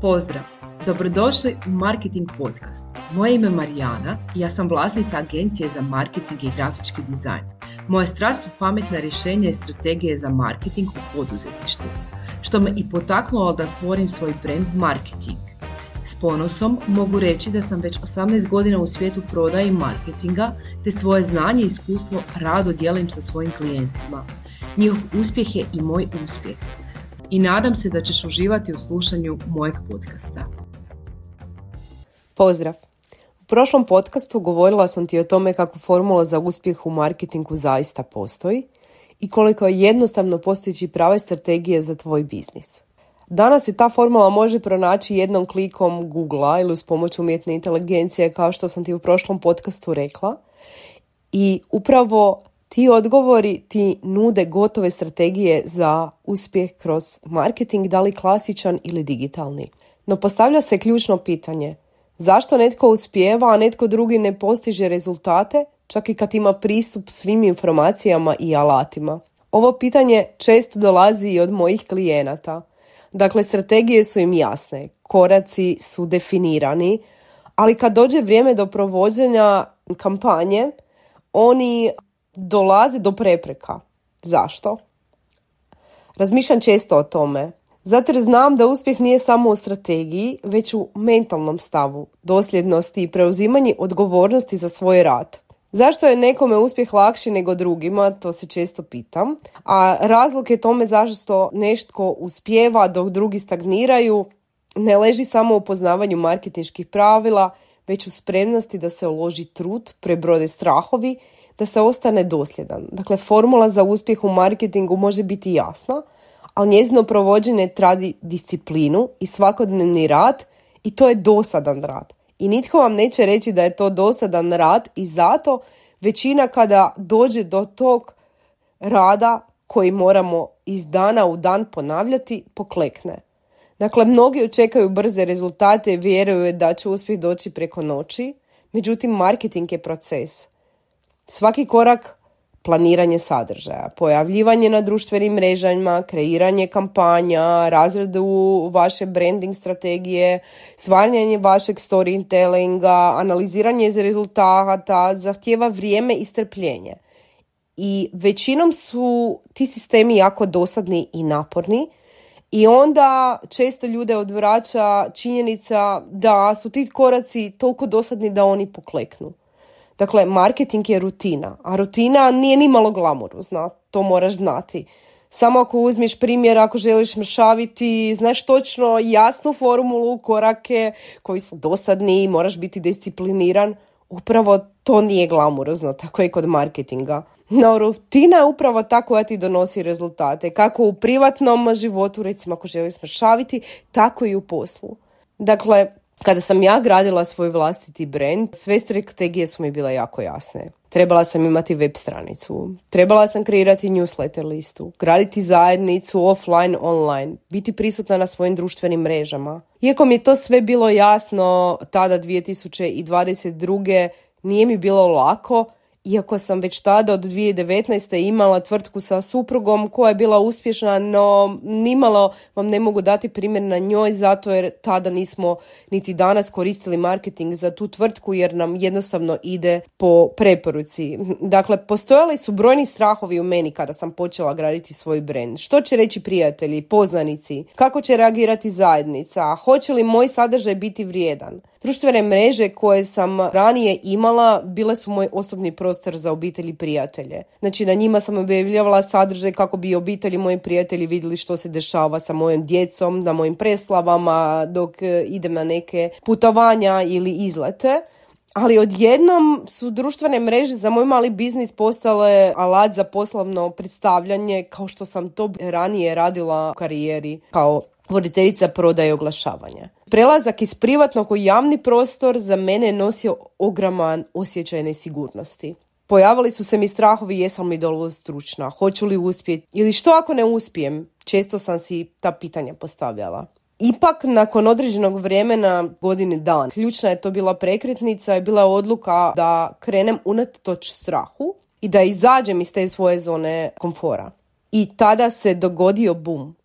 Pozdrav! Dobrodošli u Marketing Podcast. Moje ime je Marijana i ja sam vlasnica agencije za marketing i grafički dizajn. Moja strast su pametna rješenja i strategije za marketing u poduzetništvu, što me i potaknulo da stvorim svoj brand Marketing. S ponosom mogu reći da sam već 18 godina u svijetu prodaje i marketinga, te svoje znanje i iskustvo rado dijelim sa svojim klijentima. Njihov uspjeh je i moj uspjeh. I nadam se da ćeš uživati u slušanju mojeg podcasta. Pozdrav! U prošlom podcastu govorila sam ti o tome kako formula za uspjeh u marketingu zaista postoji i koliko je jednostavno postići prave strategije za tvoj biznis. Danas se ta formula može pronaći jednom klikom Googlea ili uz pomoć umjetne inteligencije, kao što sam ti u prošlom podcastu rekla. I upravo ti odgovori ti nude gotove strategije za uspjeh kroz marketing, da li klasičan ili digitalni. No postavlja se ključno pitanje: zašto netko uspijeva, a netko drugi ne postiže rezultate, čak i kad ima pristup svim informacijama i alatima? Ovo pitanje često dolazi i od mojih klijenata. Dakle, strategije su im jasne, koraci su definirani, ali kad dođe vrijeme do provođenja kampanje, oni dolaze do prepreka. Zašto? Razmišljam često o tome. Zato jer znam da uspjeh nije samo u strategiji, već u mentalnom stavu, dosljednosti i preuzimanju odgovornosti za svoj rad. Zašto je nekome uspjeh lakši nego drugima, to se često pitam. A razlog je tome zašto nešto uspijeva dok drugi stagniraju ne leži samo u poznavanju marketinških pravila, već u spremnosti da se uloži trud, prebrode strahovi, da se ostane dosljedan. Dakle, formula za uspjeh u marketingu može biti jasna, ali njezino provođenje traži disciplinu i svakodnevni rad, i to je dosadan rad. I nitko vam neće reći da je to dosadan rad, i zato većina kada dođe do tog rada koji moramo iz dana u dan ponavljati, poklekne. Dakle, mnogi očekaju brze rezultate i vjeruju da će uspjeh doći preko noći, međutim marketing je proces. Svaki korak, planiranje sadržaja, pojavljivanje na društvenim mrežama, kreiranje kampanja, razradu vaše branding strategije, stvaranje vašeg storytellinga, analiziranje rezultata, zahtijeva vrijeme i strpljenje. I većinom su ti sistemi jako dosadni i naporni, i onda često ljude odvraća činjenica da su ti koraci toliko dosadni da oni pokleknu. Dakle, marketing je rutina, a rutina nije ni malo glamurozna, to moraš znati. Samo ako uzmeš primjer, ako želiš mršaviti, znaš točno jasnu formulu, korake koji su dosadni, moraš biti discipliniran. Upravo to nije glamurozno, tako je kod marketinga. No, rutina je upravo ta koja ti donosi rezultate, kako u privatnom životu, recimo ako želiš mršaviti, tako i u poslu. Dakle, kada sam ja gradila svoj vlastiti brand, sve strategije su mi bile jako jasne. Trebala sam imati web stranicu, trebala sam kreirati newsletter listu, graditi zajednicu offline, online, biti prisutna na svojim društvenim mrežama. Iako mi je to sve bilo jasno, tada 2022. nije mi bilo lako, iako sam već tada od 2019. imala tvrtku sa suprugom koja je bila uspješna, no nimalo vam ne mogu dati primjer na njoj, zato jer tada nismo niti danas koristili marketing za tu tvrtku, jer nam jednostavno ide po preporuci. Dakle, postojali su brojni strahovi u meni kada sam počela graditi svoj brand. Što će reći prijatelji, poznanici? Kako će reagirati zajednica? Hoće li moj sadržaj biti vrijedan? Društvene mreže koje sam ranije imala bile su moj osobni prostor za obitelj i prijatelje. Znači, na njima sam objavljavala sadržaj kako bi obitelj i moji prijatelji vidjeli što se dešava sa mojom djecom, na mojim preslavama, dok idem na neke putovanja ili izlete. Ali odjednom su društvene mreže za moj mali biznis postale alat za poslovno predstavljanje, kao što sam to ranije radila u karijeri kao voditeljica prodaje i oglašavanja. Prelazak iz privatnog u javni prostor za mene je nosio ogroman osjećaj nesigurnosti. Pojavili su se mi strahovi, jesam li dovoljno stručna, hoću li uspjeti ili što ako ne uspijem. Često sam si ta pitanja postavljala. Ipak, nakon određenog vremena, godine dan, ključna je to bila prekretnica i bila odluka da krenem unatoč strahu i da izađem iz te svoje zone komfora. I tada se dogodio bum.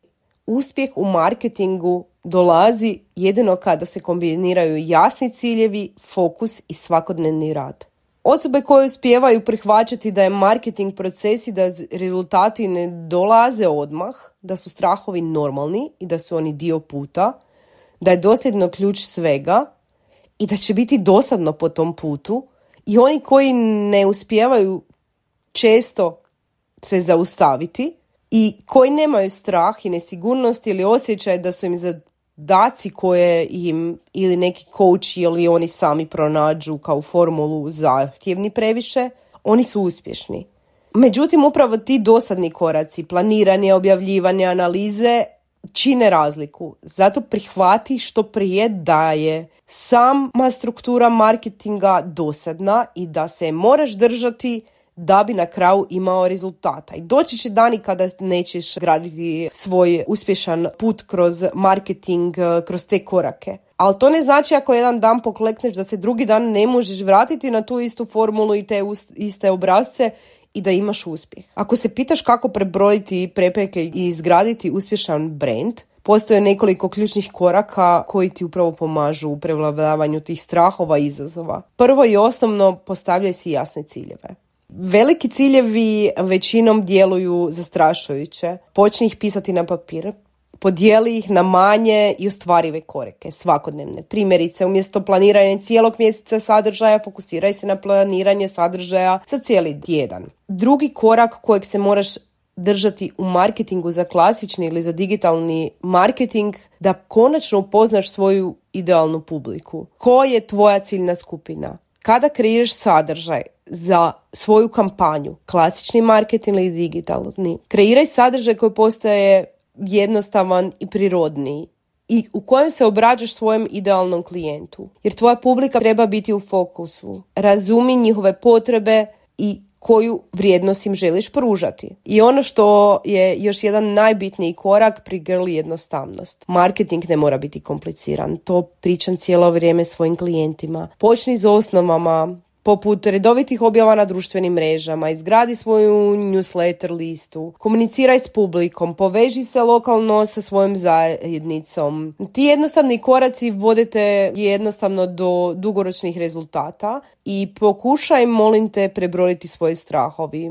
Uspjeh u marketingu dolazi jedino kada se kombiniraju jasni ciljevi, fokus i svakodnevni rad. Osobe koje uspijevaju prihvaćati da je marketing proces i da rezultati ne dolaze odmah, da su strahovi normalni i da su oni dio puta, da je dosljedno ključ svega i da će biti dosadno po tom putu, i oni koji ne uspijevaju često se zaustaviti i koji nemaju strah i nesigurnost ili osjećaj da su im zadaci koje im ili neki coach ili oni sami pronađu kao formulu zahtjevni previše, oni su uspješni. Međutim, upravo ti dosadni koraci, planiranje, objavljivanje, analize čine razliku. Zato prihvati što prije da je sama struktura marketinga dosadna i da se moraš držati da bi na kraju imao rezultata. I doći će dani kada nećeš graditi svoj uspješan put kroz marketing, kroz te korake. Ali to ne znači ako jedan dan poklekneš da se drugi dan ne možeš vratiti na tu istu formulu i te iste obrasce i da imaš uspjeh. Ako se pitaš kako prebrojiti prepreke i izgraditi uspješan brand, postoje nekoliko ključnih koraka koji ti upravo pomažu u prevladavanju tih strahova i izazova. Prvo i osnovno, postavljaj si jasne ciljeve. Veliki ciljevi većinom djeluju zastrašujuće. Počni ih pisati na papir. Podijeli ih na manje i ostvarive korake, svakodnevne. Primjerice, umjesto planiranja cijelog mjeseca sadržaja, fokusiraj se na planiranje sadržaja za cijeli tjedan. Drugi korak kojeg se moraš držati u marketingu za klasični ili za digitalni marketing, da konačno upoznaš svoju idealnu publiku. Ko je tvoja ciljna skupina? Kada kreiraš sadržaj za svoju kampanju, klasični marketing ili digitalni, kreiraj sadržaj koji postaje jednostavan i prirodniji i u kojem se obrađaš svojem idealnom klijentu. Jer tvoja publika treba biti u fokusu. Razumi njihove potrebe i koju vrijednost im želiš pružati. I ono što je još jedan najbitniji korak, prigrli jednostavnost. Marketing ne mora biti kompliciran. To pričam cijelo vrijeme svojim klijentima. Počni s osnovama, poput redovitih objava na društvenim mrežama, izgradi svoju newsletter listu, komuniciraj s publikom, poveži se lokalno sa svojom zajednicom. Ti jednostavni koraci vodite jednostavno do dugoročnih rezultata i pokušaj, molim te, prebrojiti svoje strahovi.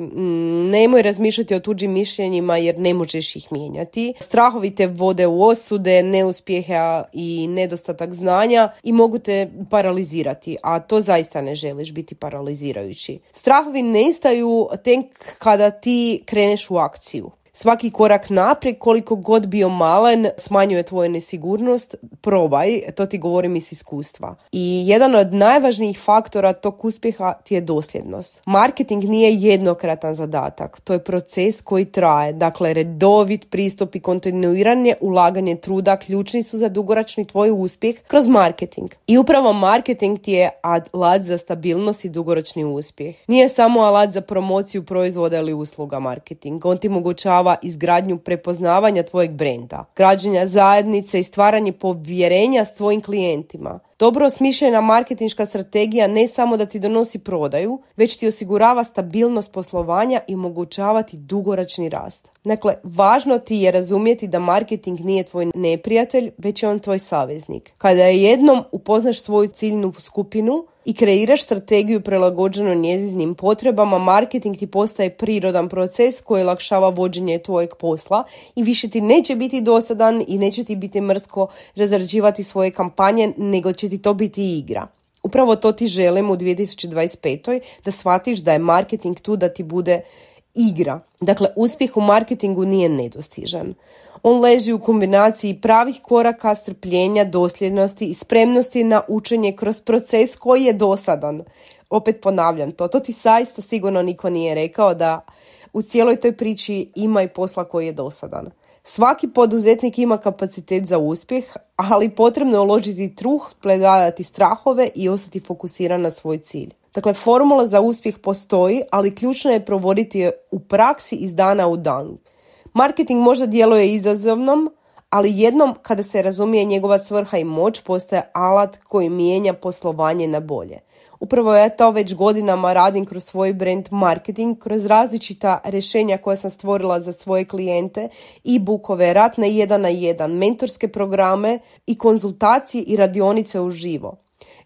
Nemoj razmišljati o tuđim mišljenjima jer ne možeš ih mijenjati. Strahovi te vode u osude, neuspjeha i nedostatak znanja i mogu te paralizirati, a to zaista ne želiš, biti paralizirajući. Strahovi nestaju tek kada ti kreneš u akciju. Svaki korak naprijed, koliko god bio malen, smanjuje tvoju nesigurnost. Probaj, to ti govorim iz iskustva. I jedan od najvažnijih faktora tog uspjeha ti je dosljednost. Marketing nije jednokratan zadatak, to je proces koji traje. Dakle, redovit pristup i kontinuiranje ulaganje truda ključni su za dugoročni tvoj uspjeh kroz marketing. I upravo marketing ti je alat za stabilnost i dugoročni uspjeh. Nije samo alat za promociju proizvoda ili usluga marketing. On ti omogućava izgradnju prepoznavanja tvojeg brenda, građenja zajednice i stvaranje povjerenja s tvojim klijentima. Dobro osmišljena marketinška strategija ne samo da ti donosi prodaju, već ti osigurava stabilnost poslovanja i omogućavati dugoročni rast. Dakle, važno ti je razumjeti da marketing nije tvoj neprijatelj, već je on tvoj saveznik. Kada jednom upoznaš svoju ciljnu skupinu i kreiraš strategiju prilagođenu njezinim potrebama, marketing ti postaje prirodan proces koji olakšava vođenje tvojeg posla i više ti neće biti dosadan i neće ti biti mrsko razrađivati svoje kampanje, nego će ti to biti igra. Upravo to ti želim u 2025. da shvatiš da je marketing tu da ti bude igra. Dakle, uspjeh u marketingu nije nedostižan. On leži u kombinaciji pravih koraka, strpljenja, dosljednosti i spremnosti na učenje kroz proces koji je dosadan. Opet ponavljam to ti zaista sigurno niko nije rekao da u cijeloj toj priči ima i posla koji je dosadan. Svaki poduzetnik ima kapacitet za uspjeh, ali potrebno je uložiti truh, prevladati strahove i ostati fokusiran na svoj cilj. Dakle, formula za uspjeh postoji, ali ključno je provoditi je u praksi iz dana u dan. Marketing možda djeluje izazovnom, ali jednom kada se razumije njegova svrha i moć postaje alat koji mijenja poslovanje na bolje. Upravo ja to već godinama radim kroz svoj brand marketing, kroz različita rješenja koja sam stvorila za svoje klijente, e-bookove, rad na 1-1, mentorske programe i konzultacije i radionice uživo.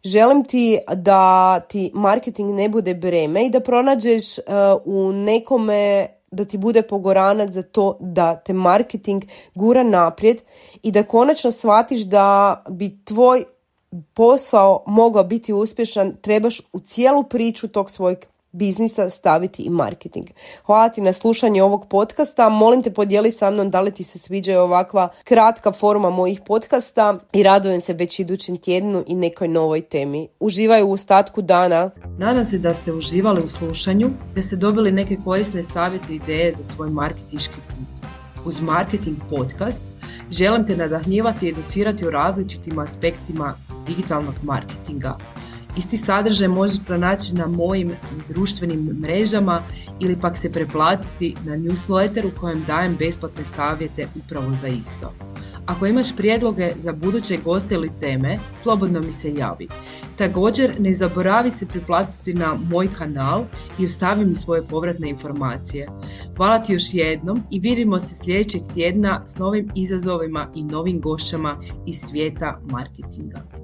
Želim ti da ti marketing ne bude breme i da pronađeš u nekome da ti bude pogoranac za to da te marketing gura naprijed i da konačno shvatiš da bi tvoj posao mogao biti uspješan, trebaš u cijelu priču tog svojeg biznisa staviti i marketing. Hvala ti na slušanje ovog podcasta. Molim te, podijeli sa mnom da li ti se sviđa ovakva kratka forma mojih podcasta i radujem se već idućem tjednu i nekoj novoj temi. Uživaj u ostatku dana. Nadam se da ste uživali u slušanju, da ste dobili neke korisne savjete i ideje za svoj marketinški put. Uz Marketing podcast želim te nadahnjivati i educirati o različitim aspektima digitalnog marketinga. Isti sadržaj možeš pronaći na mojim društvenim mrežama ili pak se preplatiti na newsletter u kojem dajem besplatne savjete upravo za isto. Ako imaš prijedloge za buduće goste ili teme, slobodno mi se javi. Također ne zaboravi se priplatiti na moj kanal i ostavi mi svoje povratne informacije. Hvala ti još jednom i vidimo se sljedećeg tjedna s novim izazovima i novim gošćama iz svijeta marketinga.